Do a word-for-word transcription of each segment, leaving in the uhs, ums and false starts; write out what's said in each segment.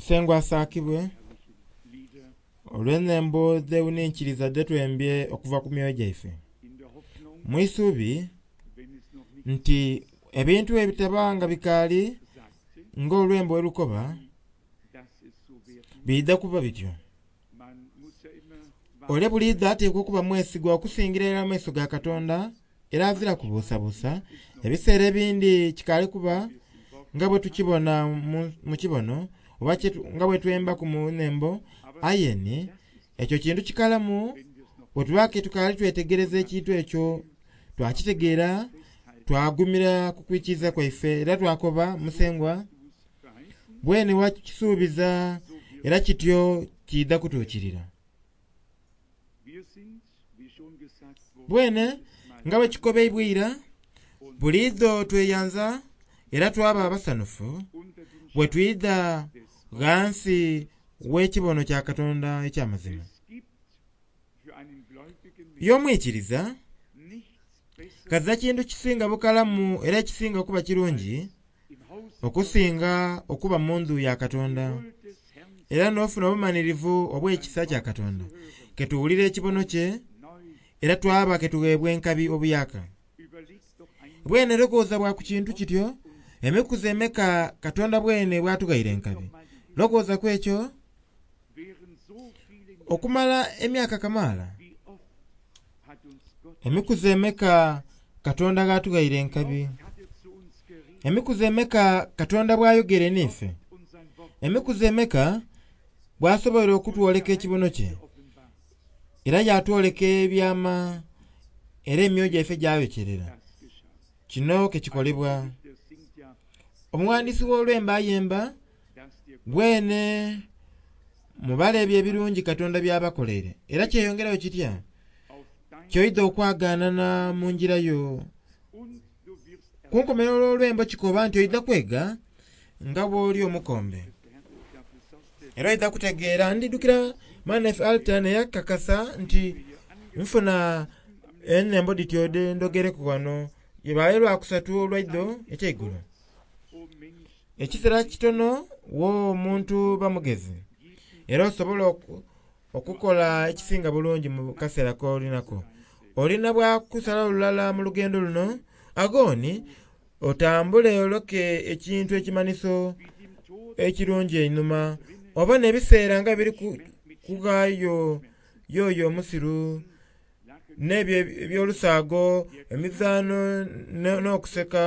Musengwa asaakibwe olw'enhembo dhewuninkiliza dhetwembye okuva ku myoyo gyaife. Mu isubi nti ebintu ebitaba nga bikaali nga olwembo bwelukoba biidha kuba bityo. Ole buliidho atekwa okuba mwesigwa okusingira irala mu maiso ga Katonda era azira kubuusabuusa. Ebiseera ebindi kikaali kuba nga bwe tukibona mu kibono oba nga bwe twembaku mu nhembo, aye ni ekyo kintu kikalamu bwetuba ke tukaali twetegereza ekintu ekyo twakitegeera twagumira ku kwikiriza kwaife era twakoba Musengwa bwene wakisuubiza era kityo kiidha kutuukirira. Bwene nga bwe kikobeibwa eira, buliidho tweyanza era twaba abasanhufu bwe twidha ghansi w'ekibono kya Katonda eky'amazima. Ye omwikiriza ghazira kintu kisinga bukalamu era ekisinga kuba kirungi okusinga okuba mu ndhu ya Katonda era n'ofuna obumanhirivu obw'ekisa kya Katonda, ketuwulira ekibono kye era twaba ketughebwa enkabi obuyaka. Bwene lowooza bwa ku kintu kityo, emikuzi emeka Katonda bwene bwatughaire enkabi. Lowooza ku ekyo okumala emyaka kamaala, emikuzi emeka Katonda ghatughaire enkabi, emikuzi emeka Katonda bwayogere n'ife, emikuzi emeka bwasoboire okutwoleka ekibono kye era yatwoleka ebyama era emyoyo gyaife gyayokyerera. Kino kekikolebwa. Omughandisi w'olwembo ayemba bwene mubale ebyo ebirungi Katonda by'abakoleire era kyeyongerayo kitya kyoidha okwaganana mu ngira yo. Kunkomerero olw'olwembo kikoba nti oidha kwega nga bw'oli omukombe era oidha kutegeera. Ndidhukira mwanaife Alton eyakakasa nti nfuna enhembo dhityo dhendhogereku ghano lwaire lwakusatu olwaidho ekyeigulo. Ekiseera kitono wo omuntu ba mugezi era osobola okukola ekisinga bulungi mu kaseera k'olinako. Olina bwakusala lulala mu lugendo luno aghoni otambule oloke ekintu ekimanhiso ekirungi einhuma obone ebiseera nga biri kughaayo yoyo omusiru n'ebyo eby'olusaago, emizaano n'okuseka.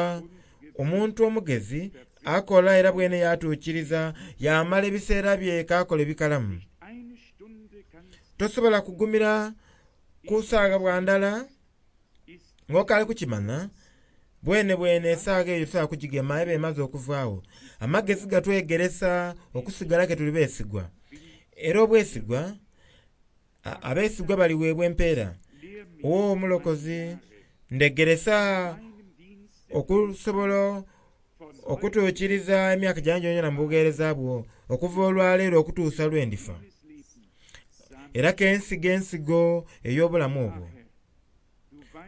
Omuntu omugezi akola era bwene yatuukiriza yamala ebiseera bye k'akola ebikalamu. Tosobola kugumira ku saagha bwa ndala ng'okaali kukimanha bwene bwene esaagha eyo tosobola kugigema eba emaze okuvaagho. Amagezi gatwegeresa okusigala ke tuli beesigwa era obwesigwa, abeesigwa baliweebwa empeera. Wo omulokozi ndhegeresa okusobola okutuukiriza emyaka gyange gyonagyona mu bugheereza bwo okuva olwaleero okutuusa lwe ndifa. Era kensiga ensigo ey'obulamu obwo.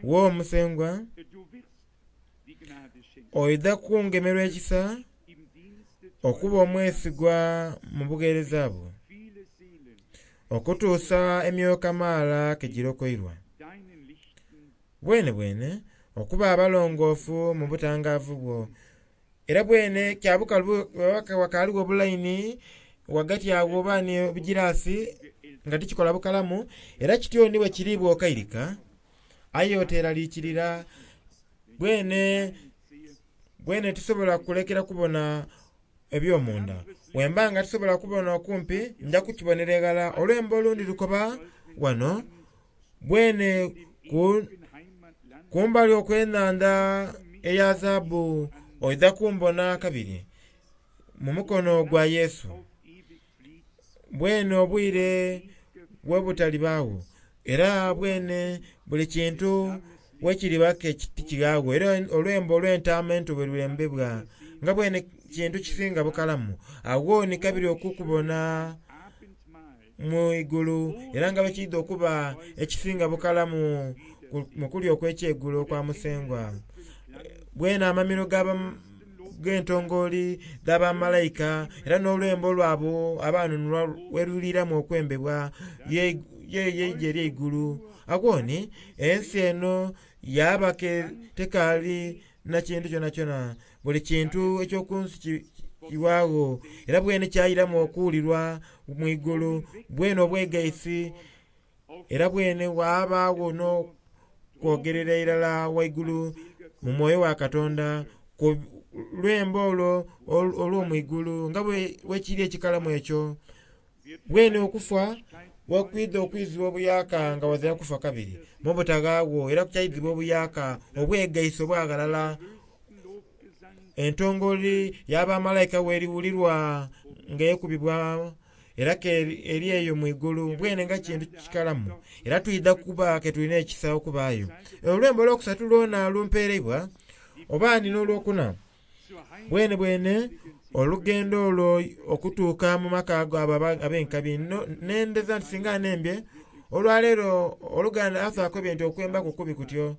Wo Musengwa oidha kungemerwa ekisa okuba omwesigwa mu bugheereza bwo okutuusa emyoyo kamaala ke girokoirwa. Bwene bwene okuba abalongoofu mu butangaavu bwo. Era bwene kya bukalu ghakaligho obulaini ghagati agho oba ni ebigiraasi nga tikikola bukalamu era kityo ni bwekiri bw'okairika aye oteraliikirira bwene bwene tisobola kulekera kubona eby'omunda. Bwemba nga tisobola kubona okumpi nja kukibonera eghala. Olwembo olundi lukoba wano bwene kumbali okw'enhandha eya zaabu oidha kumbona kabiri mu mukono gwa Yesu. Bwene obwire bwebutalibagho era bwene buli kintu bwekiriba ke tikighagho era olwembo olw'entaama ento bwe lwembebwa nga bwene kintu kisinga bukalamu. Agho ni kabiri okukubona mu igulu era nga bwekiidha okuba ekisinga bukalamu mu kulya okw'ekyeigulo okwa Musengwa. Bwene amamiro ng'entongooli dh'abamalayika era n'olwembo lwabo abanunulwa weruliramu okwembebwa yeije ery'eigulu. Agho ni ensi eno yaba tekaali na kintu kyonakyona, buli kintu eky'okunsi kiwaagho era bwene kyayiramu okuwulirwa mu igulu, bwene obwegaisi era bwene wabaagho n'okwogerera irala waigulu mu mwoyo wa Katonda ku lwembo olwo olw'omwigulu nga bwekiri ekikalamu ekyo. Bwene okufa bwekwidha okwizibwa obuyaka nga wazira kufa kabiri mu butaghaagho era kyaizibwa obuyaka obwegaisi obwaghalala. Entongoli y'abamalayika weriwulirwa nga ekubibwa era ke eri eyo mu igulu bwene nga kintu kikalamu era twidha kuba ke tulina ekisa okubaayo. Olwembo olwokusatu lwona lumpereibwa oba ni n'olwokuna bwene bwene olugendo olwo okutuuka mu maka ago abo ab'enkabi. Nendeza nti singa nembye olwaleero oluganda asakobye nti okwembaku kubi kutyo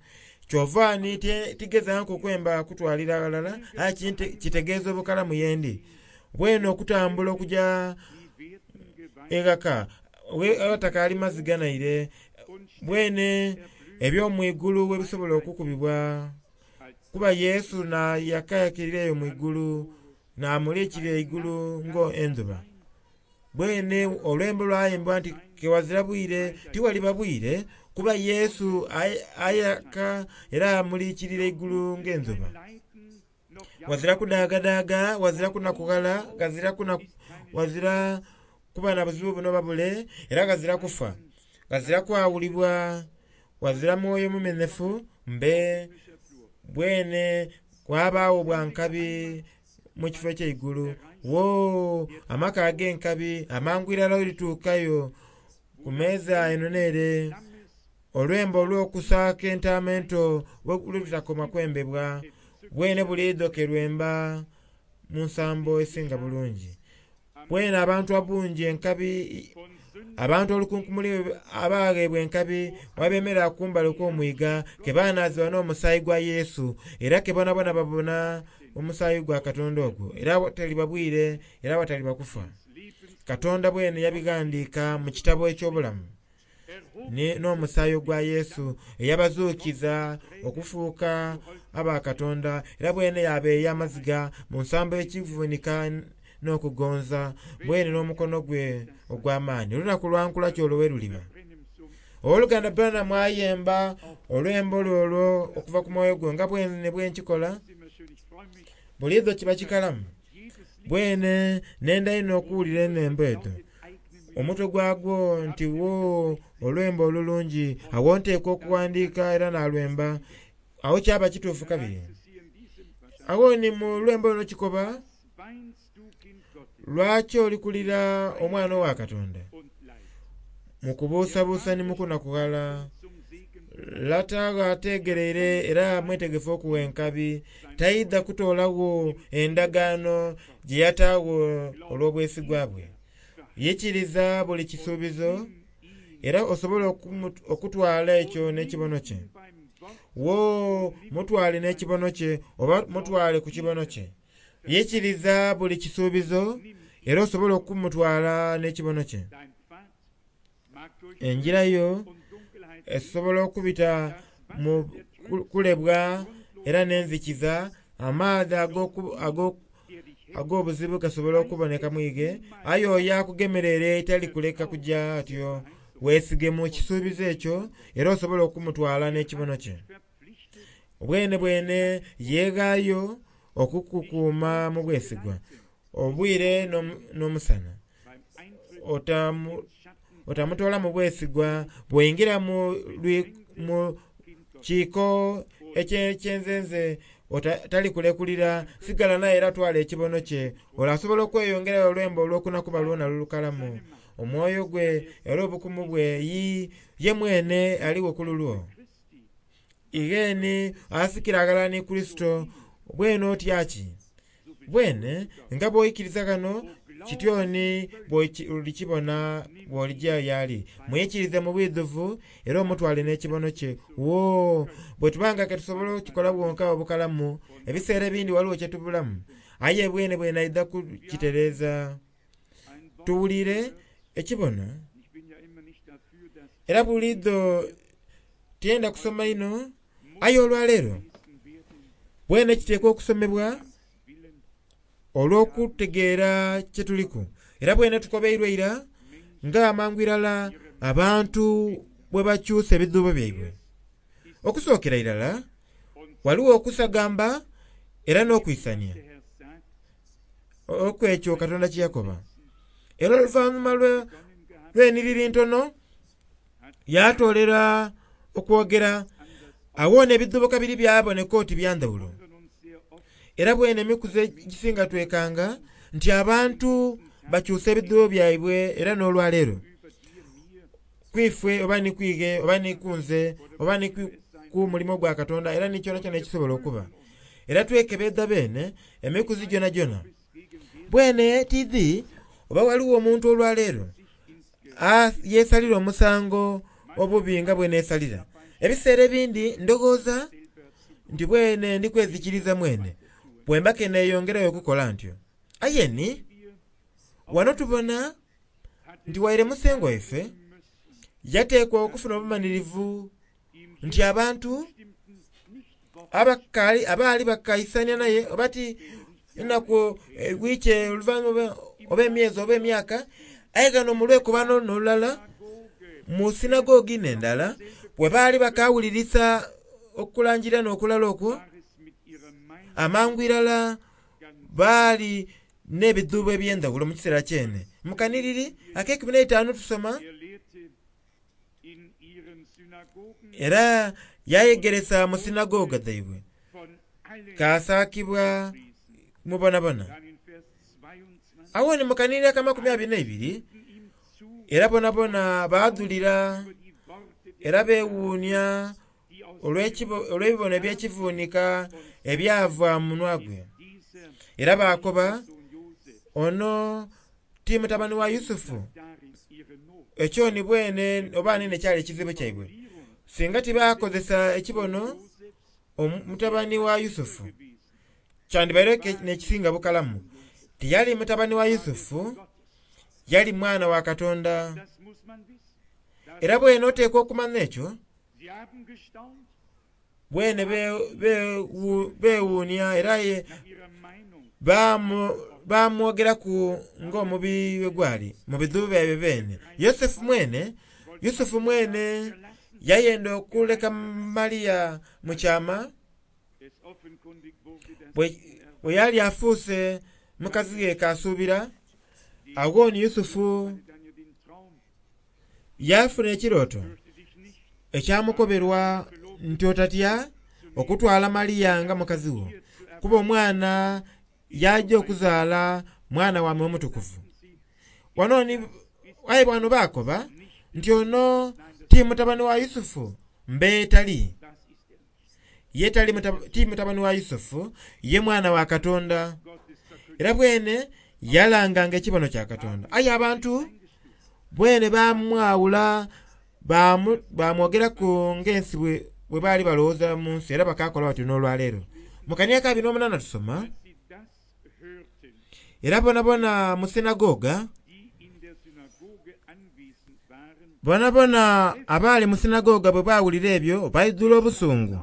kyova ni tigezanku okwemba kutwalira ghalala aye kitegeeza obukalamu yendi. Bwene okutambula okuja eghaka awatakaali maziga naire bwene eby'omwigulu webisobola okukubibwa kuba Yesu nayakayakirira eyo mu igulu namulikira eigulu ng'endhuba. Bwene olwembo lwayembwa nti kewazira bwire tiwaliba bwire kuba Yesu ayaka era amulikirira eigulu ng'endhuba. Wazira kudaagadaaga, wazira kunakughala, ghazira wazira kuba na buzibu buno oba bule era ghazira kufa, ghazira kwawulibwa, wazira mwoyo mumenhefu mbe bwene wabaagho bwa nkabi mu kifo eky'eigulu. Woo amaka ag'enkabi amangu irala olituukayo ku meeza eno n'ere. Olwembo olw'okusaaka entaama ento lutakoma kwembebwa bwene buliidho kerwemba mu nsambo esinga bulungi. Bwene abantu abungi enkabi abantu olukunkumuli abaghebwa enkabi wabemerera kumbali okw'omwiga ke banaazibwa n'omusaayi gwa Yesu era ke bonabona babona omusaayi gwa Katonda ogwo era awataliba bwire era awataliba kufa. Katonda bwene yabighandiika mu kitabo eky'obulamu n'omusaayi ogwa Yesu eyabazuukiza okufuuka aba Katonda era bwene yabeeya amaziga mu nsambo ekivunika n'okugonza bwene n'omukono gwe ogw'amaani. Olunaku lwankula kyolwo we luliba. Owooluganda Branham ayemba olwembo lwe olwo okuva ku mwoyo gwe nga bwene bwenkikola buliidho kiba kikalamu. Bwene nenda inho okuwulira enhembo edho omutwe gwagwo nti wo olwembo olulungi awo nteekwa okuwandiika era nalwemba awo kyaba kituufu kabiri. Agho ni mu lwembo luno kikoba lwaki oli kulira omwana owa Katonda mu kubuusabuusa ni mu kunakughala? Lata ategereire era mwetegefu okuwa enkabi taidha kutoolagho endagaano gye yataagho olw'obwesigwa bwe. Yikiriza buli kisuubizo era osobole okutwala ekyo n'ekibono kye. Wo mutwale n'ekibono kye oba mutwale ku kibono kye. Yikiriza buli kisuubizo era osobole okumutwala n'ekibono kye. Enjira yo esobola okubita mu kulebwa era n'enzikiza amaadhi ag'obuzibu gasobola okuboneka mwige aye oyo akugemereire tali kuleka kuja atyo. Weesige mu kisuubizo ekyo era osobole okumutwala n'ekibono kye. Bwene bwene yeeghaayo okukukuuma mu bwesigwa obwire n'omusana. Otamutoola mu bwesigwa bw'oingira mu kiiko eky'enzenze talikulekulira sigala naye era twala ekibono kye. Olwo asobola okweyongerayo olwembo olwokuna kuba lwona lulukalamu omwoyo gwe era obukumu bwe ye mwene aligho ku lulwo. Igheeni asikira aghalala ni Kurisito bwene otyaki? Bwene nga bw'oikiriza ghano Kityoni bw'olikibona bw'olijja y'ali. Mwikirize mu bwidhuvu era omutwale n'ekibono kye. Woo, bwe tubanga ke tusobola okukikola bwonka obukalamu, ebiseera ebindi waliwo kye tubulamu. Aye bwene bwene aidha kukitereeza. Tuwulire ekibono. Era buliidho tiyenda kusoma inho, aye olwaleero bwene kiteekwa okusomebwa olw'okutegeera kye tuliku. Era bwene tukobeirwe ira nga amangu irala abantu bwe bakyusa ebidhuubo byaibwe. Okusookera irala waliwo okusagamba era n'okwisania okwekyo Katonda kye yakoba. Era oluvannyuma lw'eniriri ntono yatoolera okwogera awona ebidhuubo kabiri byaboneka oti bya ndhawulo. Era bwene emikuzi egisinga twekanga nti abantu bakyusa ebidhuubo byaibwe era n'olwaleero. Kwifwe oba ni kwighe oba ni kunze oba ni ku mulimo gwa Katonda era ni kyona kyona ekisobola okuba. Era twekebedha beene emikuzi gyona gyona. Bwene tidhi oba waliwo omuntu olwaleero yeesalira omusango obubi nga bwe neesalira. Ebiseera ebindi ndowooza nti bwene ndi kwezikiriza mwene bwe mba ke neeyongerayo okukola ntyo. Aye ni wano tubona nti waire Musengwa waife yateekwa okufuna obumanhirivu nti abantu abakaali abaali bakaisania naye oba ti enaku wiiki oluvannyuma oba emyezi oba emyaka, aye ghano mu lwekobano n'olulala mu sinagogi n'endala bwe baali bakawulirisa okulangira n'okulala okwo, amangu irala baali n'ebidhuubo eby'endhawulo mu kiseera kyene. Mu kanhiriri ak'eikumi n'eitaanu tusoma era yayegeresa mu sinagoga dhaibwe kasaakibwa mubonabona. Awo ni mu kanhiriri ak'amakumi abiri n'eibiri era bonabona baadhulira era beewuunia olw'ebibono eby'ekivuunika ebyava mu munwa gwe. Era baakoba ono ti mutabani wa Yusufu. Ekyo ni bwene oba nini ekyali ekizibu kyaibwe. Singa tibakozesa ekibono omutabani wa Yusufu kyandibaire n'ekisinga bukalamu. Tiyali mutabani wa Yusufu, yali mwana wa Katonda. Era bwene oteekwa okumanya ekyo, bwene beewuunia era bamwogeraku ng'omubi bwe gwali mu bidhuubo byaibwe beene. Yosefu mwene, Yusufu mwene yayenda okuleka Maria mu kyama bwe yali afuuse mukazi ghe kasuubira. Agho ni Yusufu yafuna ekirooto ekyamukoberwa nti otatya okutwala Maria nga mukazi wo, kuba omwana y'ajja okuzaala mwana wa Mwoyo Mutukuvu. Wano ni aye bano baakoba nti ono ti mutabani wa Yusufu, mbe tali. Ye tali ti mutabani wa Yusufu, ye mwana wa Katonda. Era bwene yalanganga ekibono kya Katonda. Aye abantu bwene bamwawula bamwogeraku ng'ensi bwe baali balowooza mu nsi era bakakola batyo n'olwaleero. Mu kanhiriri ak'abiri n'omunaana tusoma era bonabona mu sinagoga bonabona abaali mu sinagoga bwe baawulira ebyo baidhula obusungu.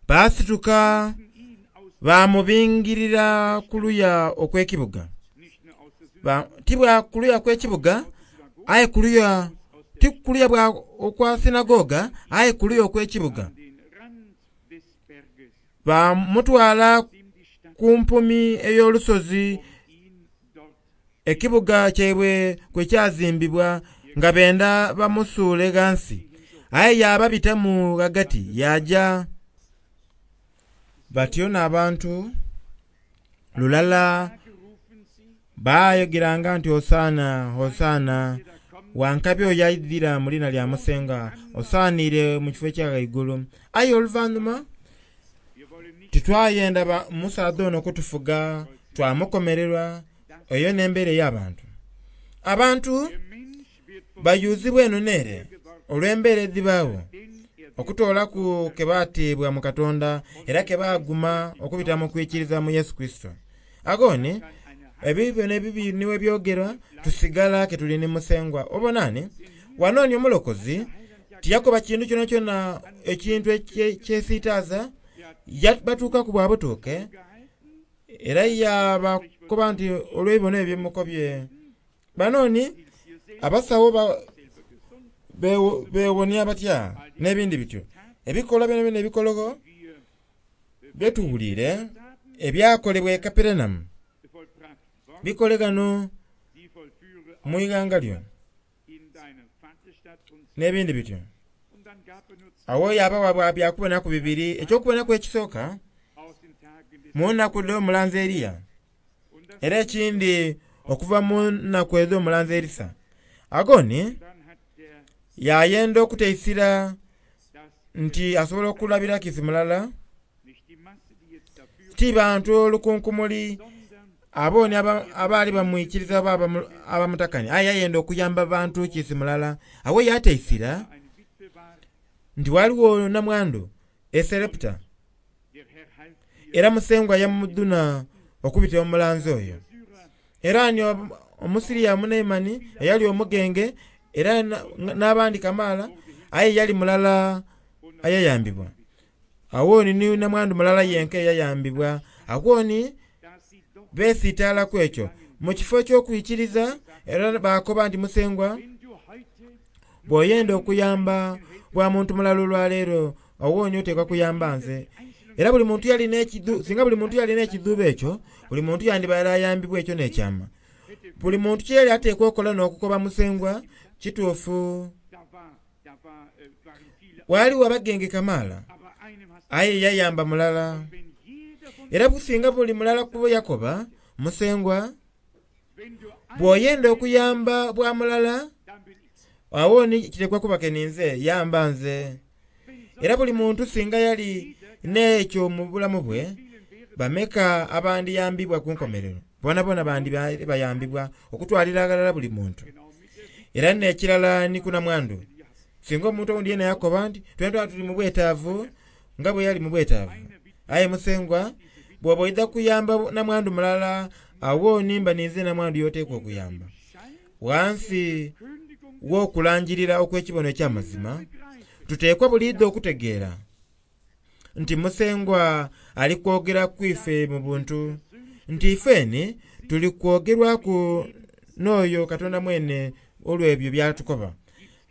Baasituka bamubingirira ku luya okw'ekibuga. Ti bwa ku luya kw'ekibuga aye ku luya ti ku luya bwa okwa sinagoga aye ku luya okw'ekibuga. Bamutwala ku mpumi ey'olusozi ekibuga kyaibwe kwe kyazimbibwa nga benda bamusuule ghansi. Aye yababitamu ghagati yaja. Batyo n'abantu lulala baayogeranga nti Hosaana, Hosaana, wankabi oyo aidhira mu liina lya Musenga, osaaniire mu kifo ekya ghaigulu. Aye oluvannyuma titwayenda musaadha ono kutufuga, twamukomererwa Eyo n'embeera ey'abantu. Abantu bayuzibwa eno n'ere olw'embeera edhibaawo okutoolaku ke bateebwa mu Katonda era ke baaguma okubita mu kwikiriza mu Yesu Kristo. Agoni ebibyo n'ebibi niwe byogerwa tusigala ke tuli ni Musengwa. Obonani wanooni omulokozi tiyakoba kintu kyona kyona ekintu ekyesiitaaza batuukaku bwa butuuke era yabakoba nti olw'ebibono ebyo byemukobye. Banooni abasawo beewonia batya n'ebindi bityo. Ebikolwa byona byona ebikologo byetuwuliire ebyakolebwa e Kaperenamu bikole ghano mu ighanga lyo n'ebindi bityo. Awo yabawa byakubonaku bibiri. Ekyokubonaku ekisooka mu nnaku dh'omulanzi Eriya, era ekindi okuva mu nnaku edh'omulanzi Erisa. Agoni yayenda okuteisira nti asobola okulabira kiisi mulala ti bantu olukunkumuli abooni abaali bamwikiriza oba abamutakania, aye yayenda okuyamba bantu kiisi mulala. Awo yateisira nti waliwo namwandu e Sereputa era Musengwa yamudhuna okubitira omulanzi oyo. Era ni Omusiriya Omunaimani eyali omugenge era n'abandi kamaala, aye yali mulala ayayambibwa. Awo ni namwandu mulala yenka eyayambibwa. Awo ni beesiitaalaku ekyo mu kifo eky'okwikiriza era bakoba nti Musengwa bw'oyenda okuyamba bwa muntu mulala olwaleero awo ni oteekwa kuyamba nze. Era buli muntu yalina ekidhu, singa buli muntu yalina ekidhuubo ekyo, buli muntu yandibaire ayambibwa ekyo n'ekyama. Buli muntu kyeyali ateekwa okola n'okukoba Musengwa kituufu. Waliwo abagenge kamaala aye yayamba mulala. Era businga buli mulala kubo yakoba Musengwa bw'oyenda okuyamba bwa mulala awo ni kitekwa kuba ke ninze yamba nze. Era buli muntu singa yali n'ekyo mu bulamu bwe bameka abandiyambibwa ku nkomerero. Bonabona bandi bayambibwa okutwalira aghalala buli muntu. Era n'ekirala ni ku namwandu. Singa omuntu owundi yena yakoba nti twena tuli mu bwetaavu nga bwe yali mu bwetaavu, aye Musengwa bw'oba oidha kuyamba namwandu mulala awo nimba ninze namwandu y'oteekwa okuyamba. Ghansi w'okulangirira okw'ekibono eky'amazima tuteekwa buliidho okutegeera nti Musengwa ali kwogera ku ife mu buntu, nti ifeni tuli kwogerwaku n'oyo Katonda mwene olw'ebyo byatukoba.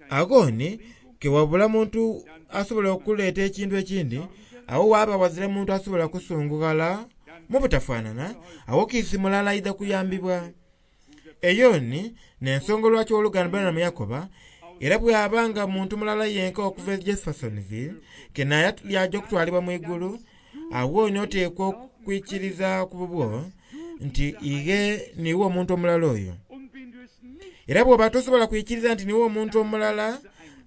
Agoni kewabula muntu asobola okuleeta ekintu ekindi, awo waaba wazira muntu asobola kusungughala mu butafaanana, awo kiisi mulala aidha kuyambibwa. Eyo ni n'ensonga lwaki owooluganda Branham yakoba era bw'abanga muntu mulala yenka okuva e Jeffersonville ke naye yaja okutwalibwa mu igulu, awo ni oteekwa okwikiriza ku bubwo nti ighe niwe omuntu omulala oyo. Era bw'oba tosobola kwikiriza nti niwe omuntu omulala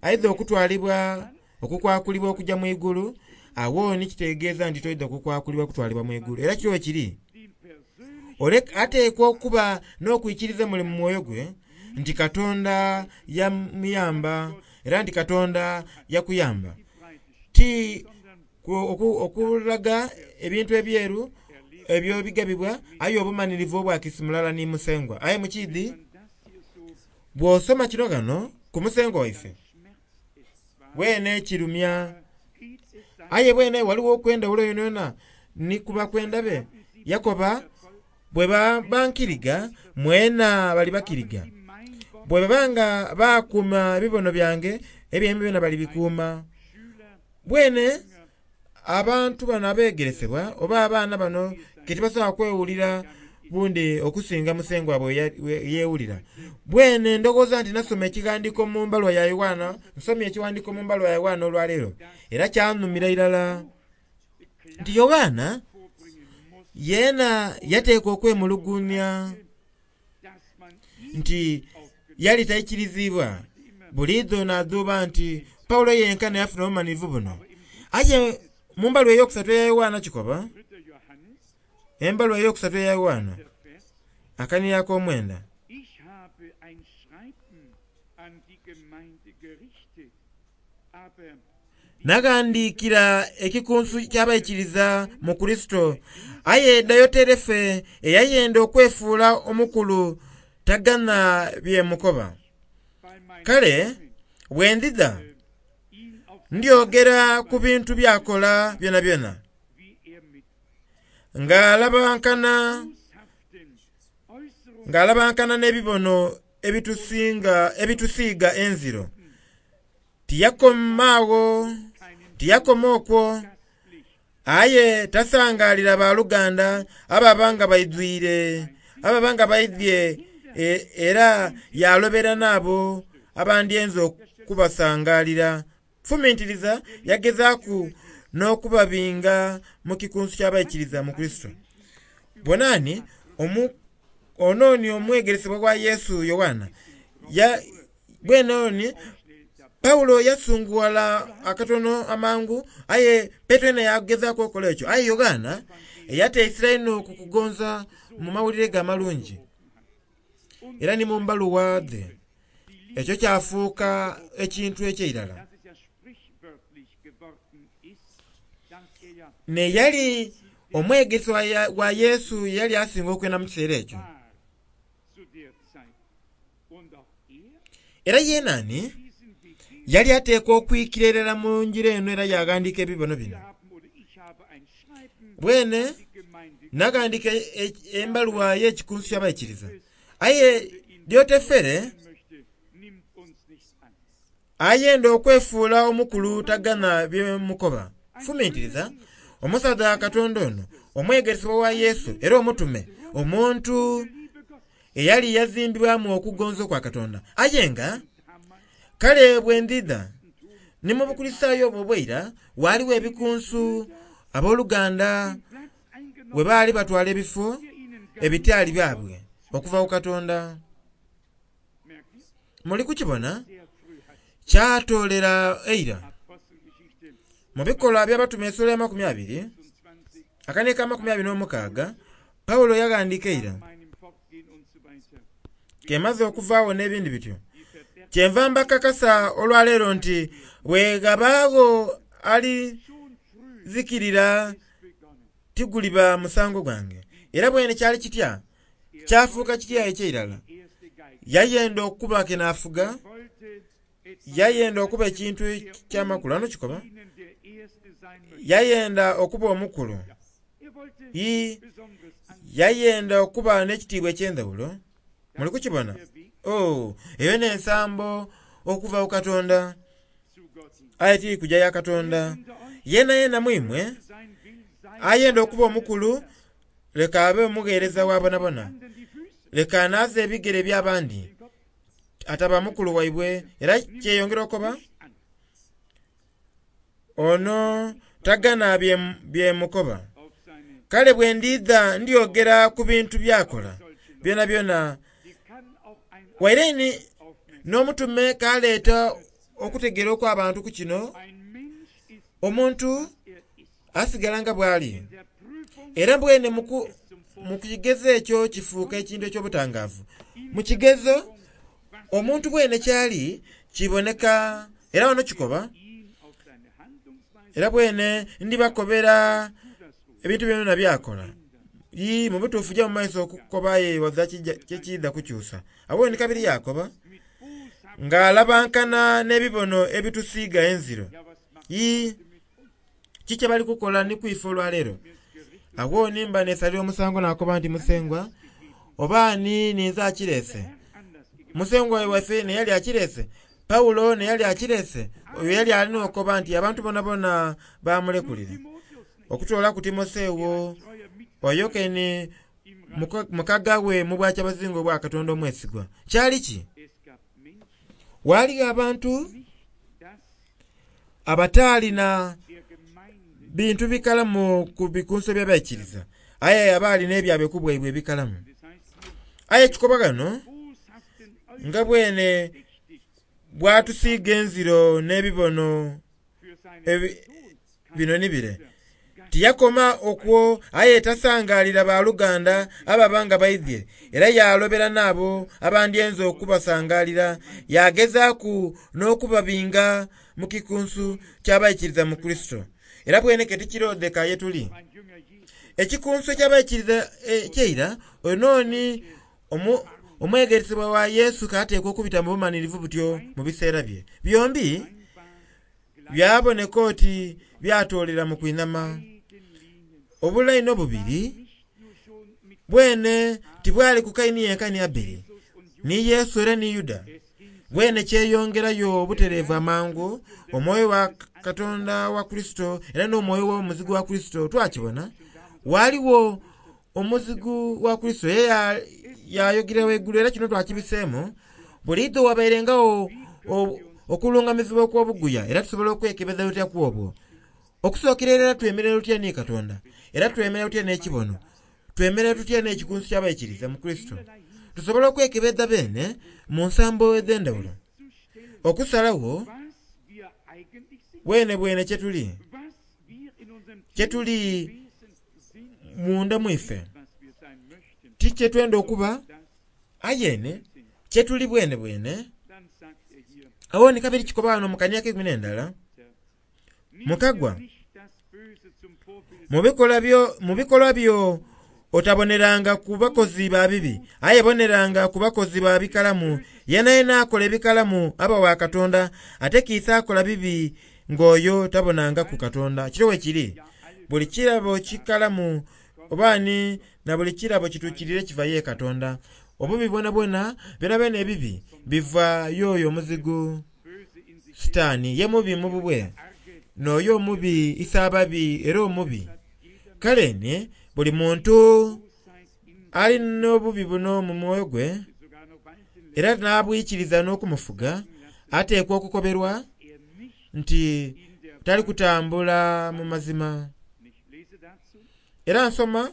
aidha okutwalibwa okukwakulibwa okujja mu igulu, awo ni kitegeeza nti toidha kukwakulibwa kutwalibwa mu igulu. Era kiriwo kiri ateekwa okuba n'okwikiriza muli mu mwoyo gwe nti Katonda yamuyamba era nti Katonda yakuyamba. Ti okulaga ebintu ebyeru ebyo bigabibwa aye obumanirivu obwa kiisi mulala ni Musengwa. Aye mukidhi bw'osoma kino ghano ku Musengwa waife bwene kirumya, aye bwene waliwo okwendawulo yonayona ni kuba kwenda be yakoba bwe bankiriga mwena bali bakiriga, bwe babanga bakuuma ebibono byange ebyembi byona bali bikuuma. Bwene abantu bano abeegeresebwa oba abaana bano ke tibasobola kwewulira bundi okusinga Musengwa bwe yeewulira. Bwene ndowooza nti nasoma ekighandiiko mu mbalwa ya Yoanna, nsomye ekiwandiiko mu mbalwa ya Yoanna olwaleero era kyanumira irala nti Yoanna yeena yateekwa okwemulugunya nti yali taikirizibwa. Buliidho n'adhuuba nti Paulo yenka neyafuna obumanirivu buno. Aye mu mbalwa eyokusatu eya Yoanna kikoba, embalwa eyokusatu eya Yoanna Akanira ak'omwenda. Naghandiikira ekikunsu ky'abaikiriza mu Kurisito, aye Dioterefe eyayenda okwefuula omukulu taganha bye mmukoba. Kale bwe ndidha ndyogera ku bintu by'akola byonabyona, ng'alabankana ng'alabankana n'ebibono ebitusinga ebitusiiga enziro. Tiyakoma agho tiyakoma okwo, aye tasangaalira baluganda ababa nga baidhwire ababa nga baidhye era yalobera n'abo abandyenze okubasangaalira. Fumintiriza yagezaaku n'okubabinga mu kikunsu ky'abaikiriza mu Kurisito. Bonani ono ni omwegeresebwa wa Yesu Yoanna, bwene oni Pawulo yasunguwala akatono amangu, aye Petero yena yagezaaku okukola ekyo. Aye Yoanna yateisira inho ku kugonza mu mawulire ge amalungi era ni mu mbaluwa dhe. Ekyo kyafuuka ekintu eky'eirala. Neyali omwegesebwa wa Yesu yali asinga okwenda mu kiseera ekyo. Era yenani yali ateekwa okwikira irala mu ngira eno era yaghandiika ebibono bino. Bwene naghandiika embaluwa y'ekikunsu ky'abaikiriza, aye Diotefere ayenda okwefuula omukulu taganha bye mmukoba. Fumintiriza omusaadha Katonda ono, omwegeresebwa wa Yesu era omutume, omuntu eyali yazimbibwamu okugonza kwa Katonda. Aye nga kale bwe ndidha ni mu Bukulisitaayo obwo obw'eira waaliwo ebikunsu abooluganda bwe baali batwala ebifo ebitali byabwe okuva ku Katonda. Muli kukibona? Kyatoolera eira. Mu bikolwa by'abatume essuula ya makumi abiri, akaniika amakumi abiri n'omukaaga, Pawulo yaghandiika eira, kemaze okuvaagho n'ebindi bityo. Kyenva mbakakasa olwaleero nti bwe ghabaagho alizikirira tiguliba musango gwange. Era bwene kyali kitya? Kyafuuka kitya eky'eirala? Yayenda okuba kenaafuga, yayenda okuba ekintu ekyamakulu. Ano kikoba? Yayenda okuba omukulu. Ii, yayenda okuba n'ekitiibwa eky'endhawulo. Muli kukibona? Oh, eyo n'ensambo okuva ku Katonda. Aye tiri kuja ya Katonda. Yena yena mu imwe ayenda okuba omukulu, leka abe omugheereza wa bonabona. Leka anaaze ebigere by'abandi, ataba mukulu waibwe. Era kyeyongera okuba ono tagana bye mmukoba. Kale bwe ndidha ndyogera ku bintu by'akola byonabyona. Waire ni n'omutume kaleeta okutegeera okw'abantu ku kino, omuntu asigala nga bw'ali. Era bwene mu kigezo ekyo kifuuka ekintu eky'obutangaavu. Mu kigezo omuntu bwene kyali kiboneka, era wano kikoba, era bwene ndibakobera ebintu byona byakola. Ii, mu butuufu ja mu maiso okukoba aye waza kyekiidha kukyusa. Awo ni kabiri yakoba ng'alabankana n'ebibono ebitusiiga enziro. Ii, kiki bali kukola ni kwife olwaleero? Awo nimba neesalira omusango nakoba nti Musengwa oba ani ninze akireese? Musengwa waife neyali akireese? Pawulo neyali akireese? Oyo yali alina okukoba nti abantu bonabona bamulekulire. Okutoolaku Timoseewo oyo keni mukaga we mu bwakyabazinga obwa Katonda omwesigwa. Kyali ki? Waaliyo abantu abataalina bintu bikalamu ku bikunsu eby'abaikiriza, aye abaali n'ebyabwe ku bwaibwe ebikalamu. Aye kikoba ghano nga bwene bwatusiiga enziro n'ebibono bino ni bire. Tiyakoma okwo aye tasangalira baluganda ababa nga baidhye, era yalobera n'abo abandyenze okubasangalira, yagezaaku n'okubabinga mu kikunsu ky'abaikiriza mu Kurisito. Era bweneke tikirodheka ye tuli. Ekikunsu eky'abaikiriza ekyeira oyo nooni omwegeresebwa wa Yesu kateekwa okubita mu bumanhirivu butyo mu biseera bye. Byombi byaboneka oti byatoolera mu kwinhama. Obulaini obubiri bwene tibwali ku Kaini yenka ni Abeli, ni Yesu era ni Yuda. Bwene kyeyongerayo obutereevu amangu omwoyo wa Katonda wa Kurisito era n'omwoyo w'omuzigu wa Kurisito twakibona. Waliwo omuzigu wa Kurisito ye yayogerera waigulu era kino twakibiseemu. Buliidho wabairengawo okulungamizibwa okw'obuguya era tusobola okwekebeza lutya ku obwo. Okusookera era twemerera tutya ni Katonda, era twemerera tutya n'ekibono, twemerera tutya n'ekikunsu ky'abaikiriza mu Kurisito. Tusobola okwekebeza beene mu nsambo edh'endhawulo, okusalagho bwene bwene kye tuli, kye tuli munda mwife, ti kye twenda okuba ayene kye tuli bwene bwene. Awo ni kabiri kikoba wano mu kania k'eikumi n'endala, mukagwa mu bikolwa byo otaboneranga ku bakozi ba bibi, aye boneranga ku bakozi ba bikalamu. Yena yena akola ebikalamu aba wa Katonda, ate kiisa akola bibi ng'oyo tabonangaku Katonda. Kiro we kiri, buli kirabo kikalamu oba ni na buli kirabo kituukirire kiva ye Katonda. Obubi bwonabwona byonabwona ebibi biva y'oyo omuzigu Sitaani. Ye mubi mu bubwe, n'oyo omubi isaababi era omubi. Kale ni buli muntu ali n'obubi buno mu mwoyo gwe era n'abwikiriza n'okumufuga, ateekwa okukoberwa nti tali kutambula mu mazima. Era nsoma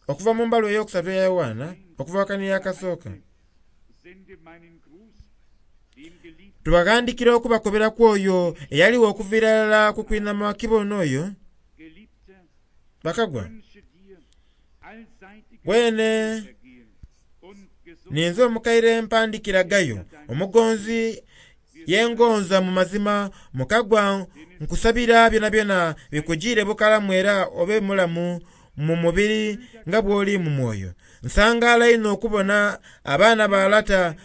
okuva mu mbaluwa eyokusatu eya Yowaana, okuva wakaniya akasooka. Tubaghandikira okubakoberaku oyo eyaliwo okuviira irala ku kwinhama kibono oyo bakagwa. Bwene ninze omukaire mpandikira Gayo, omugonzi yengonza mu mazima. Mukagwa nkusabira byonabyona bikujiire bukalamu era obe mulamu mu mubiri nga bw'oli mu mwoyo. Nsangaala inho okubona abaana ba lata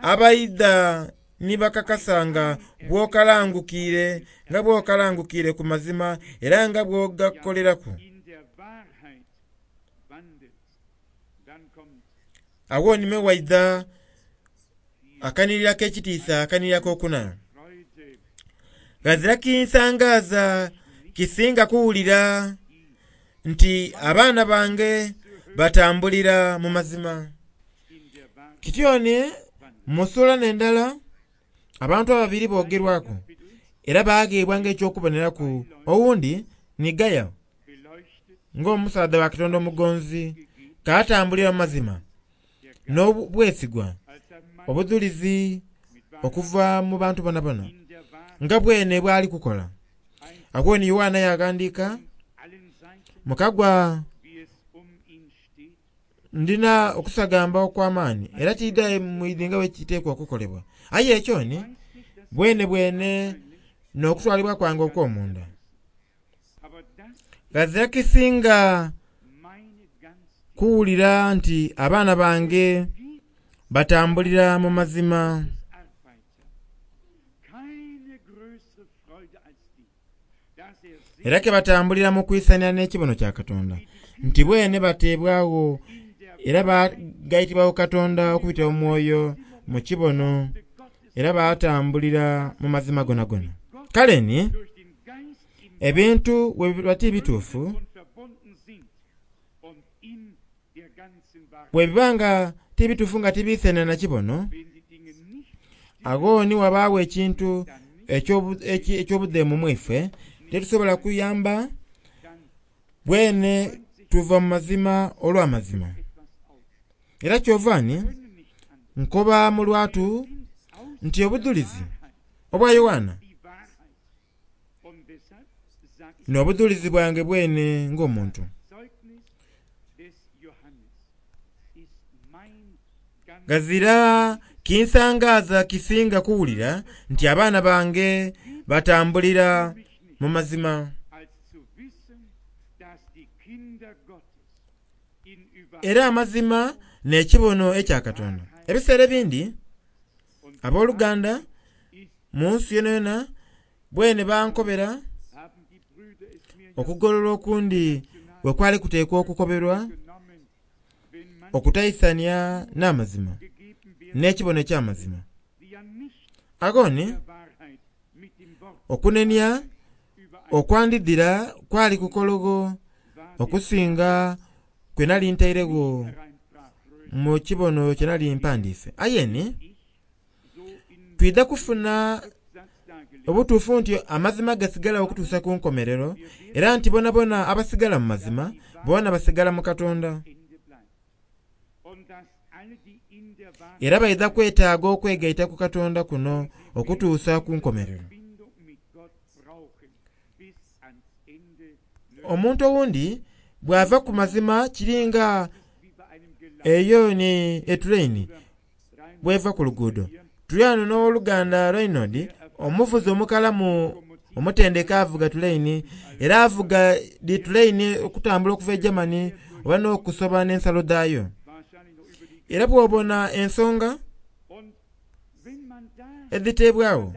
abaidha ni bakakasa nga bw'okalangukiire nga bw'okalangukiire ku mazima era nga bw'ogakoleraku. Awo nime waidha akanirira ak'ekitiisa akanirira ak'okuna. Ghazira kinsangaaza kisinga kuwulira nti abaana bange batambulira mu mazima. Kityoni mu ssuula n'endala abantu ababiri boogerwaku era baagheebwa ng'ekyokuboneraku. Owundi ni Gayo ng'omusaadha wa Katonda omugonzi, kaatambulira mu mazima n'obwesigwa, obudhulizi okuva mu bantu bonabona nga bwene bwali kukola. Awo ni Yowaana yaghandiika, mukagwa ndina okusagamba okw'amaani era tidha mwidhi nga bwe kiteekwa okukolebwa. Aye ekyo ni bwene bwene n'okutwalibwa kwange okw'omunda. Ghazira kisinga kuwulira nti abaana bange batambulira mu mazima. Era ke batambulira mu kwisania n'ekibono kya Katonda, nti bwene bateebwagho era bagaitibwagho Katonda okubitira mu mwoyo mu kibono, era batambulira mu mazima gonagona. Kale ni ebintu bwe biba ti bituufu, bwe biba nga ti bituufu nga tibiisania na kibono, agho ni wabaagho ekintu eky'obudheemu mu ife, tetusobola kuyamba bwene tuva mu mazima olw'amazima. Era kyova ni nkoba mu lwatu nti obudhulizi obwa Yowaana N'obudhulizi bwange bwene ng'omuntu. Ghazira kinsangaaza kisinga kuwulira nti abaana bange batambulira mu mazima. Era amazima n'ekibono ekya Katonda. Ebiseera ebindi abooluganda mu nsi yonayona bwene bankobera okugolola okundi bwe kwali kuteekwa okukoberwa okutaisania n'amazima n'ekibono eky'amazima. Agho ni okunenia okwandidhira kwali kukologho okusinga kwe nali ntairegho mu kibono kye nali mpandiise. Aye ni twidha kufuna obutuufu nti amazima gasigala okutuusa ku nkomerero, era nti bonabona abasigala mu mazima boona basigala mu Katonda. Era baidha kwetaaga okwegaita ku Katonda kuno okutuusa ku nkomerero. Omuntu owundi bw'ava ku mazima kiringa eyo ni etuleini bw'eva ku luguudo. Tuli ghano n'owoluganda Reynold, omuvuzi omukalamu omutendeke avuga tuleini, era avuga dhi tuleini okutambula okuva e Germany oba n'okusoba n'ensalo dhayo. Era bw'obona ensonga edhiteebwagho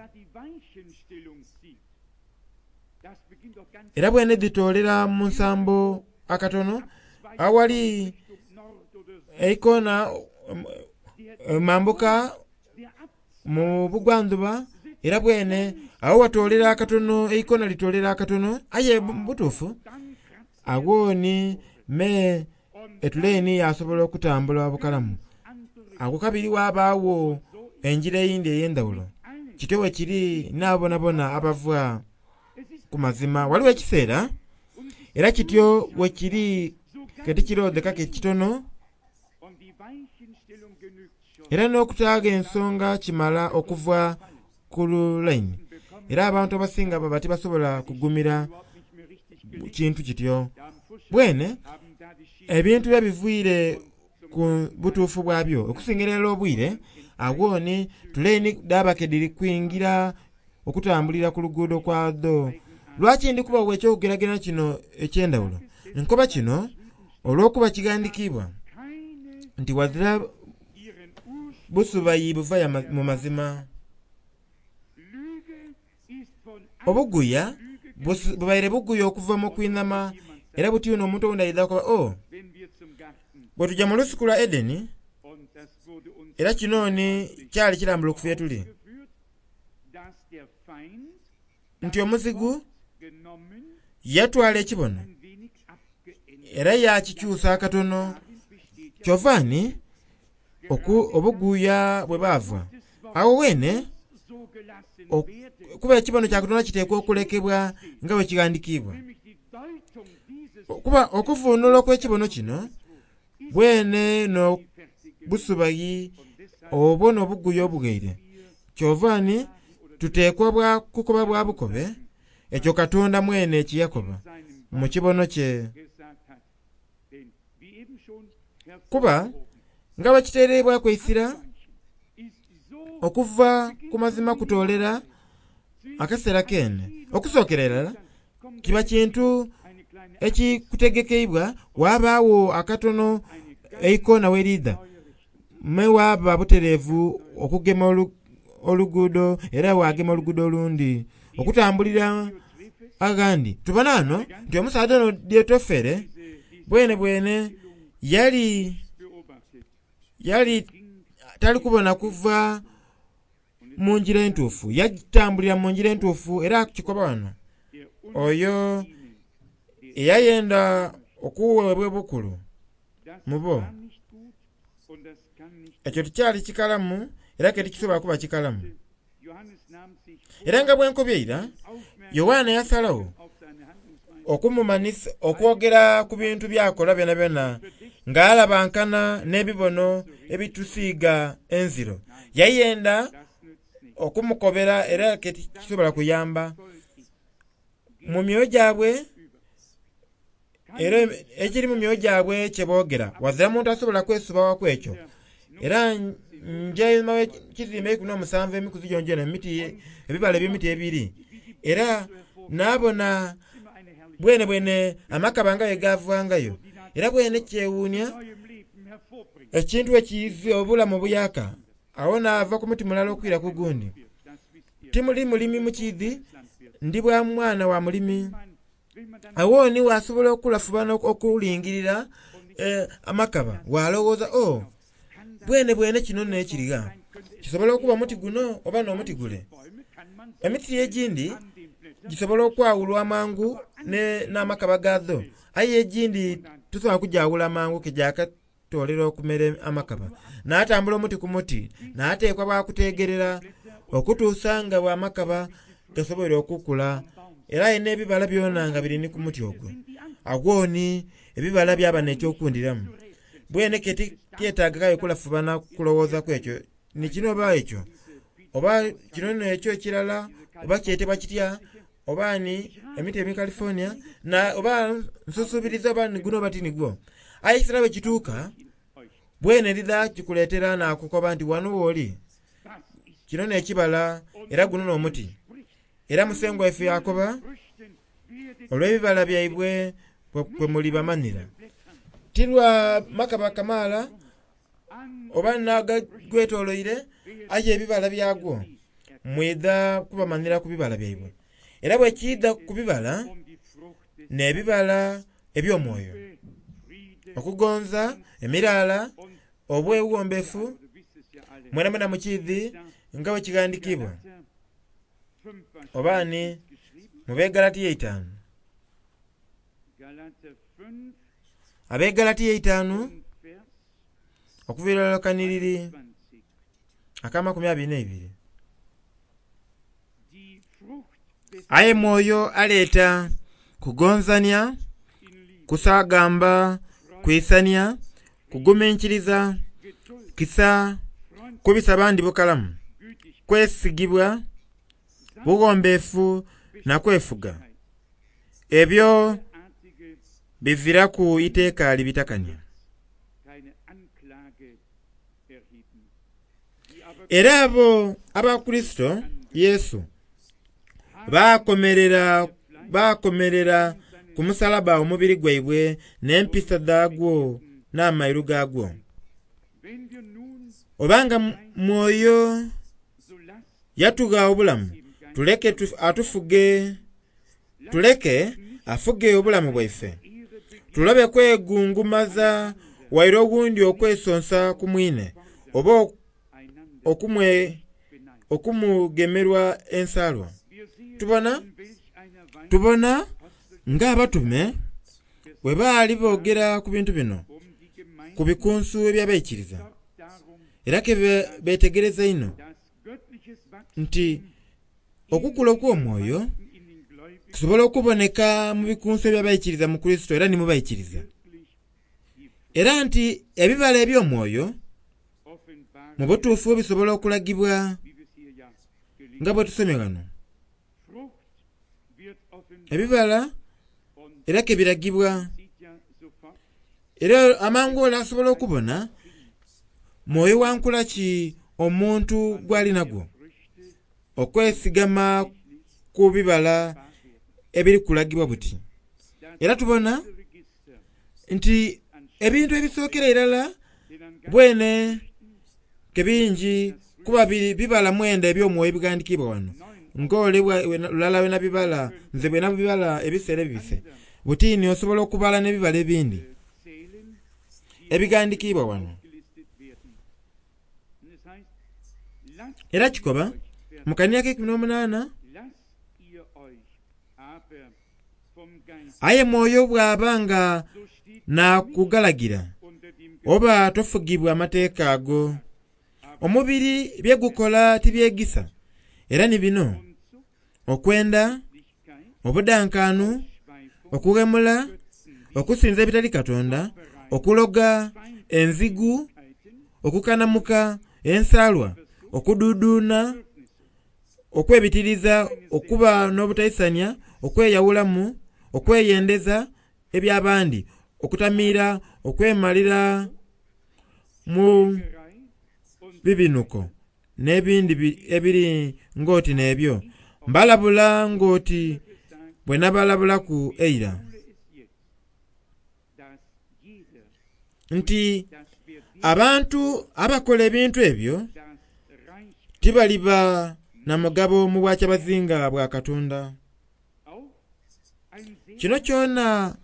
era bwene dhitoolera mu nsambo akatono awali eikona mambuka mu bugwandhuba, era bwene agho watoolera akatono eikona litoolera akatono, aye mu butuufu agho ni me etuleini yasobola okutambula bukalamu. Agho kabiri ghabagho engira eyindi ey'endhaghulo. Kityo bwe kiri n'abo bonabona abava ku mazima. Ghaligho ekiseera era kityo bwe kiri ke tikirodheka ke kitono, era n'okutaagho ensonga kimala okuva ku lulaini. Era abantu abasinga baba tibasobola kugumira kintu kityo. Bwene ebintu biba biviire ku butuufu bwabyo okusingira irala obwire, agho ni tuleini dhaba ke dhiri kwingira okutambulira ku luguudo kwadho. Lwaki ndi kubawa eky'okugeragera kino eky'endhaghulo? Nkoba kino olw'okuba kighandikiibwa nti ghazira busubayi buva mu mazima. Obuguya bubaire buguya okuva mu kwinhama, era buti buno omuntu owundi aidha kukoba, "Oh, bwe tujja mu lusuku lwa Edeni, era kino ni kyali kirambulukufu ye tuli." Nti omuzigu yatwala ekibono era yakikyusa akatono. Kyova ni obuguya bwe baava agho ghene kuba ekibono kya Katonda kiteekwa okulekebwa nga bwe kighandikiibwa. Kuba okuvuunula okw'ekibono kino bwene n'obusubayi obwo n'obuguya obughaire. Kyova ni tuteekwa bwa kukoba bwa bukobe ekyo Katonda mwene kye yakoba mu kibono kye. Kuba nga bwe kiteereibwaku eisira okuva ku mazima kutoolera akaseera kene. Okusookera irala kiba kintu ekikutegekeibwa, ghabagho akatono eikona ghe liidha me ghaba butereevu okugema oluguudo era wagema oluguudo olundi okutambulira aghandi. Tubona ghano nti omusaadha ono Diotofere bwene bwene yali yali tali kubona kuva mu ngira entuufu, yatambulira mu ngira entuufu era akikoba ghano oyo eyayenda okuweebwa obukulu mu bo. Ekyo tikyali kikalamu era ke tikisobola kuba kikalamu. Era nga bwe nkobye eira, Yoanna yasalagho okumumanhisa okwogera ku bintu by'akola byonabyona ng'alabankana n'ebibono ebitusiiga enziro. Yayenda okumukobera era ke tikisobola kuyamba. Mu myoyo gyabwe era ekiri mu myoyo gyabwe kye boogera, wazira muntu asobola kwesubawaku ekyo. Era nja einhuma w'ekizimbe eikumi n'omusanvu emikuzi gyongyona emiti ebibala eby'emiti ebiri, era naabona bwene bwene amakaba nga bwe gavangayo. Era bwene kyewuunia ekintu ekiiza obulamu obuyaka. Awo naava ku muti mulala okwira ku gundi. Timuli mulimi mukiidhi, ndi bwa mwana wa mulimi. Awo ni wasobola okulafubana okulingirira eh, amakaba walowooza, oh, bwene bwene kino n'ekirigha. Kisobola okuba omuti guno oba n'omuti gule. Emiti egindi gisobola okwawulwa amangu n'amakaba gaadho, aye egindi tosobola kugyawula mangu kegyakatoolera okumera amakaba. N'atambula omuti ku muti, n'ateekwa bwakutegerera okutuusa nga bw'amakaba gasoboire okukula, era aye n'ebibala byona nga biri ni ku muti ogwo. Agwo ni ebibala byaba n'ekyokundiramu. Bwene ke tyetaagayo kulafubana kulowoozaku ekyo, ni kino oba ekyo, oba kino n'ekyo ekirala, oba kyetebwa kitya, oba ni emiti emi California, na oba nsusubiriza oba ni guno oba ti nigwo. Aye ekiseera bwe kituuka, bwene lidha kikuleetera nakukoba nti wano wooli, kino n'ekibala era guno n'omuti. Era Musengwa waife yakoba, olw'ebibala byaibwe kwe muli bamanhira. Ti lwa makaba kamaala oba n'agagwetoloire, aye ebibala byagwo mwidha kubamanhira ku bibala byaibwe. Era bwe kiidha ku bibala, n'ebibala eby'omwoyo. Okugonza, emiraala, obweghombefu, mwena mwena mukiidhi nga bwe kighandiikibwa. Oba ni mu b'e Galatia eitaanu. Ab'e Galatia eitaanu okuviira irala kanhiriri ak'amakumi abiri n'eibiri. Aye mwoyo aleeta kugonzania, kusagamba, kwisania, kuguminkiriza, kisa, kubisa bandi bukalamu, kwesigibwa, bughombefu na kwefuga. Ebyo biziraku iteeka libitakania. Era abo aba Kurisito Yesu bakomerera bakomerera ku musalaba omubiri gwaibwe n'empisa dhaagwo n'amairu gaagwo. Obanga mwoyo yatugha obulamu, tuleke atufuge tuleke afuge obulamu bwaife. Tulobe kwegungumaza waire oghundi okwesonsa ku mwine, oba okumwe okumugemerwa ensalwa. Tubona tubona ng'abatume bwe baali boogera ku bintu bino ku bikunsu eby'abaikiriza, era ke beetegereza inho nti okukula okw'omwoyo kusobola okuboneka mu bikunsu eby'abaikiriza mu Kurisito era ni mu baikiriza. Era nti ebibala eby'omwoyo mu butuufu bisobola okulagibwa nga bwe tusomye ghano. Ebibala era ke biragibwa, era amangu ole asobola okubona mwoyo wa nkula ki omuntu gw'ali nagwo, okwesigama ku bibala ebiri kulagibwa buti. Era tubona nti ebintu ebisookera irala bwene ke bingi kuba bibala mwenda eby'omwoyo ebighandiikibwa wano. Ng'ole lulala bwe nabibala, nze bwe nabibala ebiseera ebibise. Butini osobola okubala n'ebibala ebindi ebighandiikibwa wano. Era kikoba mu kanhiriri ak'eikumi n'omunaana, aye mwoyo bw'aba nga naakugalagira, oba tofugibwa amateeka ago. Omubiri bye gukola tibyegisa, era ni bino: okwenda, obudankaanu, okughemula, okusinza ebitali Katonda, okuloga, enzigu, okukanamuka, ensalwa, okuduuduuna, okwebitiriza, okuba n'obutaisania, okweyawulamu, okweyendeza eby'abandi, okutamiira, okwemalira mu bibinuko n'ebindi ebiri ng'oti n'ebyo. Mbalabula ng'oti bwe nabalabulaku eira, nti abantu abakola ebintu ebyo tibaliba na mugabo mu bwakyabazinga bwa Katonda. Kino kyona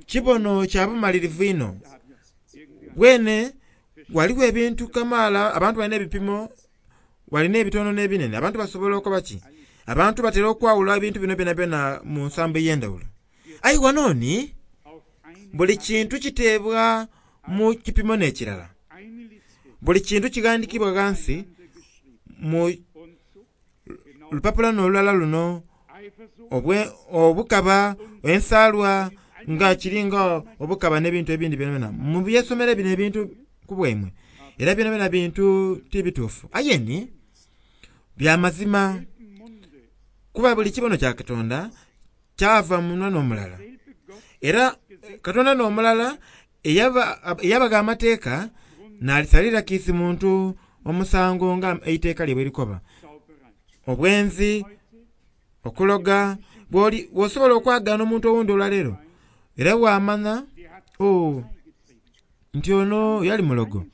kibono kya bumalirivu inho. Bwene ghaligho ebintu kamaala abantu balina ebipimo, balina ebitono n'ebinene, abantu basobola okukoba ki? Abantu batera okwawula ebintu bino byonabyona mu nsambo ey'endhawulo. Aye ghano ni buli kintu kiteebwa mu kipimo n'ekirala. Buli kintu kighandhiikibwa ghansi mu lupapula n'olulala luno, obukaba, ensaalwa nga kiringa obukaba n'ebintu ebindi byonabyona. Mubyesomere bino ebintu ku bwaimwe, era byonabyona bintu ti bituufu. Aye ni bya mazima, kuba buli kibono kya Katonda kyava munhwa n'omulala. Era Katonda n'omulala eyabagha amateeka n'alisalira kiisi muntu omusango nga eiteeka lye bwe likoba. Obwenzi, okuloga, bw'osobola okwagaana omuntu owundi olwaleero era bw'amanha oh, nti ono yali mulogo,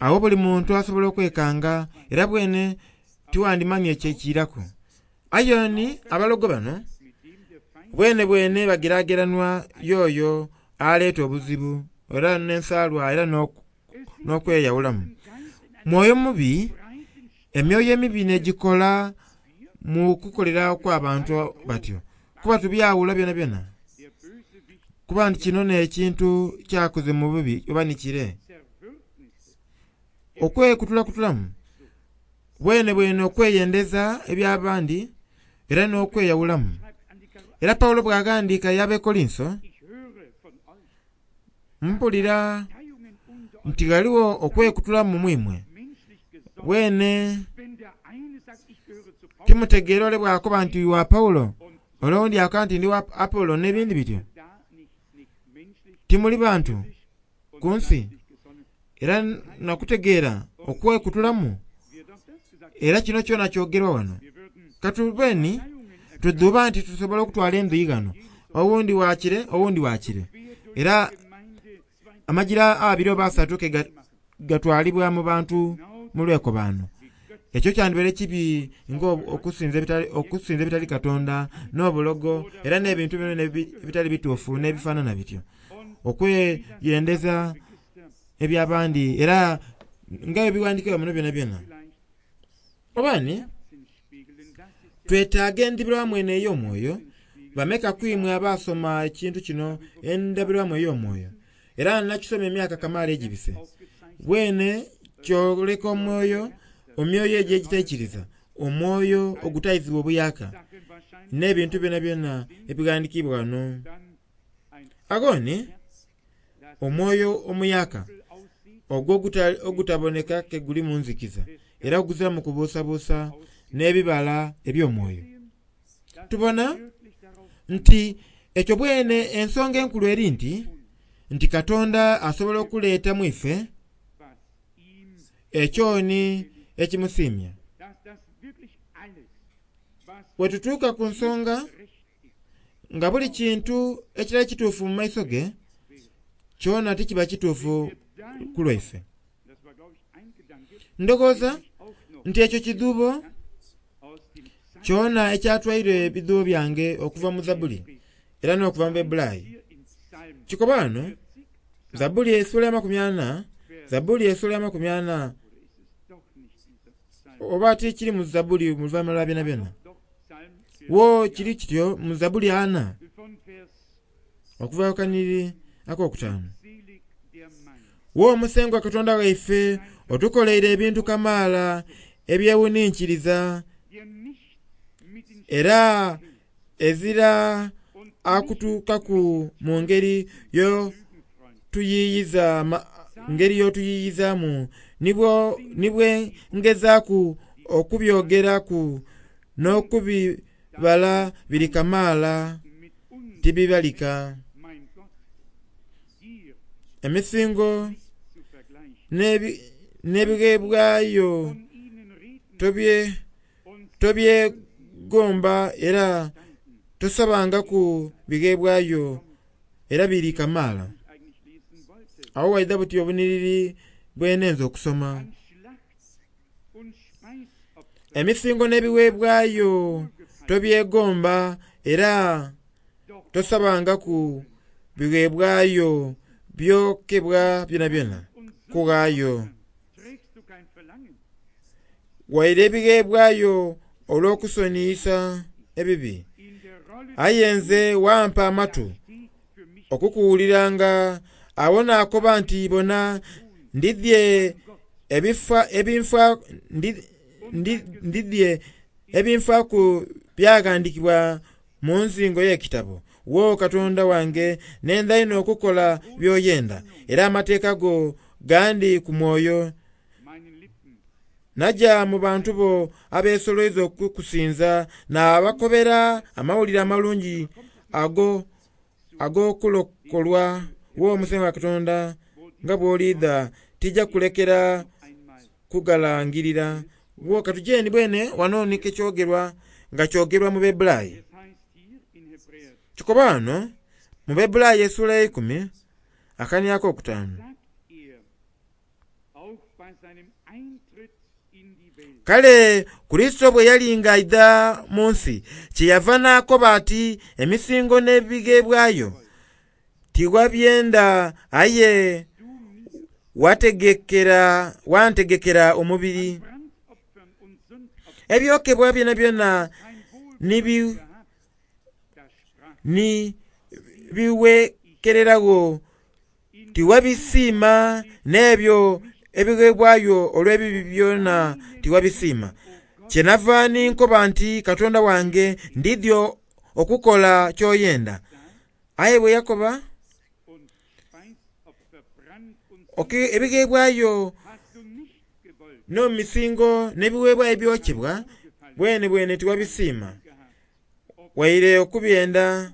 agho buli muntu asobola okwekanga era bwene tiwandimanye ekyekiiraku. Aye ni abalogo bano bwene bwene bagerageranwa y'oyo aleeta obuzibu era n'ensaalwa era n'okweyawulamu. Mwoyo mubi, emyoyo emibi n'egikola mu kukolera okw'abantu batyo, kuba tubyawula byonabyona. Kuba nti kino n'ekintu kyakoze mu bubi oba ni kire. Okwekutulakutulamu bwene bwene okweyendeza eby'abandi era n'okweyawulamu. Era Pawulo bw'aghandiika y'Abekolinso, mpulira nti ghaligho okwekutulamu mu imwe. Bwene timutegeera ole bw'akoba nti wa Pawulo, ole owundi akoba nti ndi wa Apolo n'ebindi bityo. Timuli bantu ku nsi, era nakutegeera okwekutulamu. Era kino kyona kyogerwa wano. Katubeni tudhuuba nti tusobola okutwala endhuyi ghano, owundi wakire owundi wakire. Era amajira abiri oba asatu ke gatwalibwa mu bantu mu lwekobaano. Ekyo kyandibaire kibi nga okusinza ebitali, ebitali Katonda n'obulogo era n'ebintu byona ebitali bituufu n'ebifaanana bityo. Okweyendeza eby'abandi era nga ebiwandiikibwa muno byonabyona. Oba ni twetaaga endabirwamu eno ey'omwoyo. Bameka ku imwe abaasoma ekintu kino, endabirwamu ey'omwoyo? Era nakisoma emyaka kamaala egibise. Bwene kyoleka omwoyo, emyoyo egyo egitaikiriza, omwoyo ogutayizibwa obuyaka n'ebintu byonabyona ebighandiikibwa ghano. Agho ni omwoyo omuyaka ogwo ogutaboneka ke guli mu nzikiza era oguziramu kubuusabuusa n'ebibala eby'omwoyo. Tubona nti ekyo bwene ensonga enkulu eri nti nti Katonda asobola okuleeta mu ife ekyoni ekimusiimya. Bwe tutuuka ku nsonga nga buli kintu ekirala kituufu mu maiso ge, kyona tikiba kituufu ku lwaife. Ndowooza nti ekyo kidhuubo kyona ekyatwaire ebidhuubo byange okuva mu Zabbuli era n'okuva mu Bebulaayi. Kikoba wano, Zabbuli essuula ya makumi ana, Zabbuli essuula ya makumi ana, oba ti kiri mu Zabbuli mu luvannyuma lwa byonabyona. Wo kiri kityo mu Zabbuli ana okuva ku kanhiriri ak'okutaanu. Wo Musengwa Katonda waife otukoleire ebintu kamaala ebyewuninkiriza, era ezira akutuukaku mu ngeri y'otuyiiyiza ngeri y'otuyiyizaamu ni bwe ngezaaku okubyogeraku n'okubi bala biri kamaala tibibalika. Emisingo n'ebigheebwayo tobyegomba era tosabangaku bigheebwayo era biri kamaala. Agho waidha buti obunhiriri bwenenze okusoma. Emisingo n'ebigheebwayo tobyegomba era tosabangaku bigheebwayo byokebwa byonabyona kughaayo. Waire ebigheebwayo olw'okusoniyisa ebibi. Aye nze wampa amatu okukuwuliranga. Agho naakoba nti bona ndidhie ndidhie ebinfaaku byaghandiikibwa mu nzingo y'ekitabo. Wo Katonda wange nenda inho okukola by'oyenda, era amateeka go gandi ku mwoyo. Naja mu bantu bo abeesoloiza okukusinza, naabakobera amawulire amalungi ago ag'okulokolwa. Wo Musengwa Katonda nga bw'oliidha tija kulekera kugalangirira. Wo katujeni bwene wano ni kekyogerwa nga kyogerwa mu Bebulaayi. Kikoba wano mu Bebulaayi essuula eikumi akania akokutaanu. Kale Kurisito bwe yali nga aidha mu nsi, kyeyava n'akoba ati emisingo n'ebigheebwayo tiwabyenda aye wategekera wantegekera omubiri. Ebyokebwa byonabyona ni biweekereragho tiwabisiima, n'ebyo ebigheebwayo olw'ebibi byona tiwabisiima. Kyenava ni nkoba nti Katonda wange ndidhie okukola ky'oyenda. Aye bwe yakoba ebigheebwayo n'emisingo n'ebiweebwayo ebyokebwa bwene bwene tiwabisiima, waire okubyenda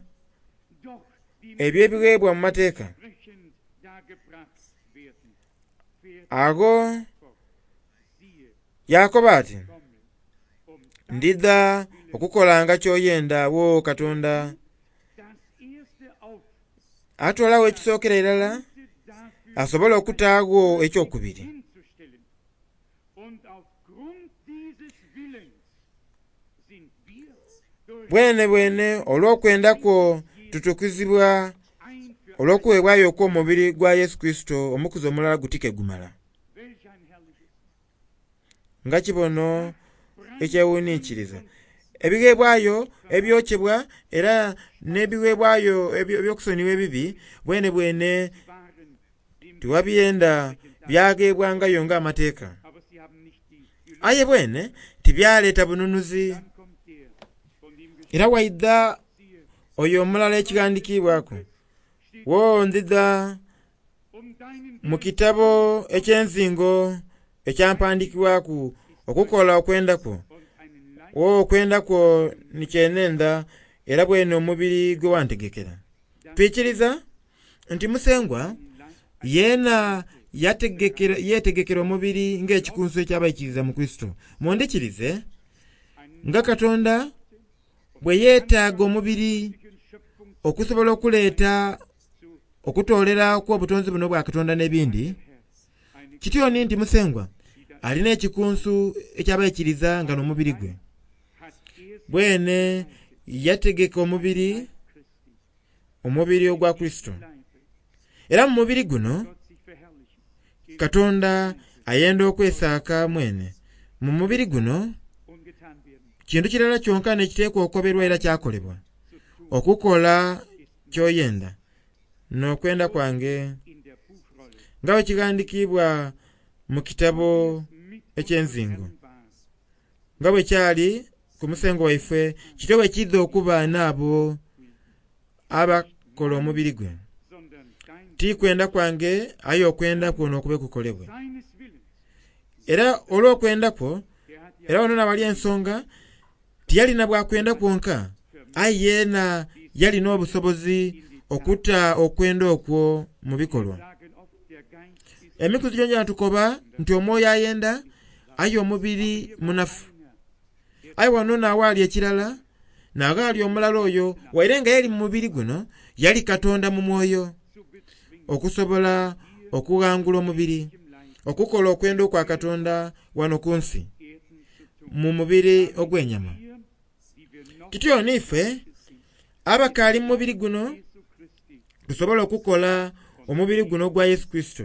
ebyo ebigheebwa mu mateeka. Agho yakoba ati ndidha okukolanga ky'oyenda wo Katonda. Atoolagho ekisookera irala asobole okutaagho ekyokubiri. Bwene bwene olw'okwenda kwo tutukuzibwa olw'okuweebwayo okw'omubiri gwa Yesu Kurisito omukuzi omulala guti ke gumala. Nga kibono ekyewuninkiriza. Ebigheebwayo ebyokebwa era n'ebigheebwayo eby'okusonyiwa ebibi bwene bwene tiwabyenda byagheebwangayo ng'amateeka. Aye bwene tibyaleeta bununuzi. Era waidha oyo omulala ekighandiikibwaku. Wo ndidha mu kitabo eky'enzingo ekyampandiikibwaku okukola okwenda kwo. Wo okwenda kwo ni kyenenda era bwene omubiri gwe wantegekera. Twikiriza nti Musengwa yeena yeetegekera omubiri ng'ekikunsu eky'abaikiriza mu Kurisito. Mundhikirize nga Katonda bwe yeetaaga omubiri okusobola okuleeta okutoolera kw'obutonzi buno bwa Katonda n'ebindi, kityo ni nti Musengwa alina ekikunsu eky'abaikiriza nga n'omubiri gwe. Bwene yategeka omubiri, omubiri ogwa Kurisito. Era mu mubiri guno Katonda ayenda okwesaaka mwene. Mu mubiri guno kintu kirala kyonka n'ekiteekwa okoberwa era kyakolebwa, okukola ky'oyenda n'okwenda kwange nga bwe kighandiikibwa mu kitabo eky'enzingo. Nga bwe kyali ku Musengwa waife kityo bwe kiidha okuba n'abo abakola omubiri gwe. Ti kwenda kwange aye okwenda kwo n'okube kukolebwe. Era olw'okwenda kwo, era wano nawali ensonga Tiyalina bwakwenda kwonka, aye yeena yalina obusobozi okuta okwenda okwo mu bikolwa. Emikuzi gyongyona tukoba nti omwoyo ayenda aye omubiri munafu. Aye wano n'awaali ekirala, n'aghaali omulala oyo waire nga yali mu mubiri guno, yali Katonda mu mwoyo okusobola okughangula omubiri, okukola okwenda okwa Katonda wano ku nsi mu mubiri ogw'enyama. Kityo n'ife abakaali mu mubiri guno tusobola okukola omubiri guno ogwa Yesu Kristo,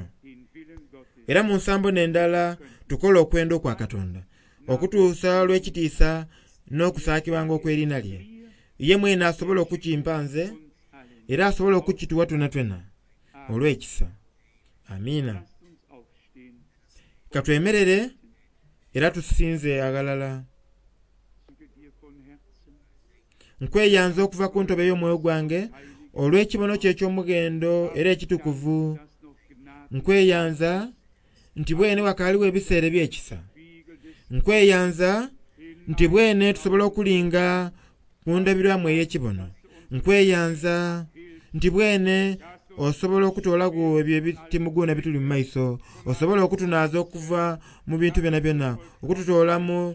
era mu nsambo n'endala tukola okwenda okwa Katonda okutuusa olw'ekitiisa n'okusaakibwanga okw'eriina lye. Ye mwene asobola okukimpa nze era asobola okukituwa twenatwena olw'ekisa. Amiina. Lasst uns aufstehen. Katwemerere era tusinze aghalala. Danke dir von Herzen. Nkweyanza okuva ku ntobo ey'omwoyo gwange olw'ekibono kyo eky'omughendo era ekitukuvu. Dass noch Gnade Nkweyanza nti bwene wakaaliwo ebiseera eby'ekisa. Spiegel des Nkweyanza nti bwene tusobola okulinga ku ndabirwamu ey'ekibono. Nkweyanza nti bwene osobola okutoolaku ebyo ebitimuguuna ebituli mu maiso, osobola okutunaaza okuva mu bintu byonabyona, okututoola mu,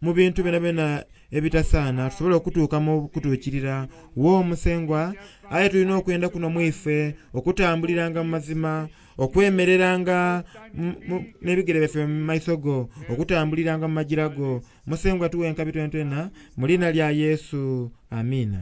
mu bintu byonabyona ebitasaana, tusobole okutuuka mu kutuukirira. Wo Omusengwa, aye tulina okwenda kuno mu ife okutambuliranga mu mazima, okwemereranga mu- mu- n'ebigere byaffe mu maiso go, okutambuliranga mu magira go. Musengwa tuwe enkabi twenatwena mu liina lya Yesu. Amiina.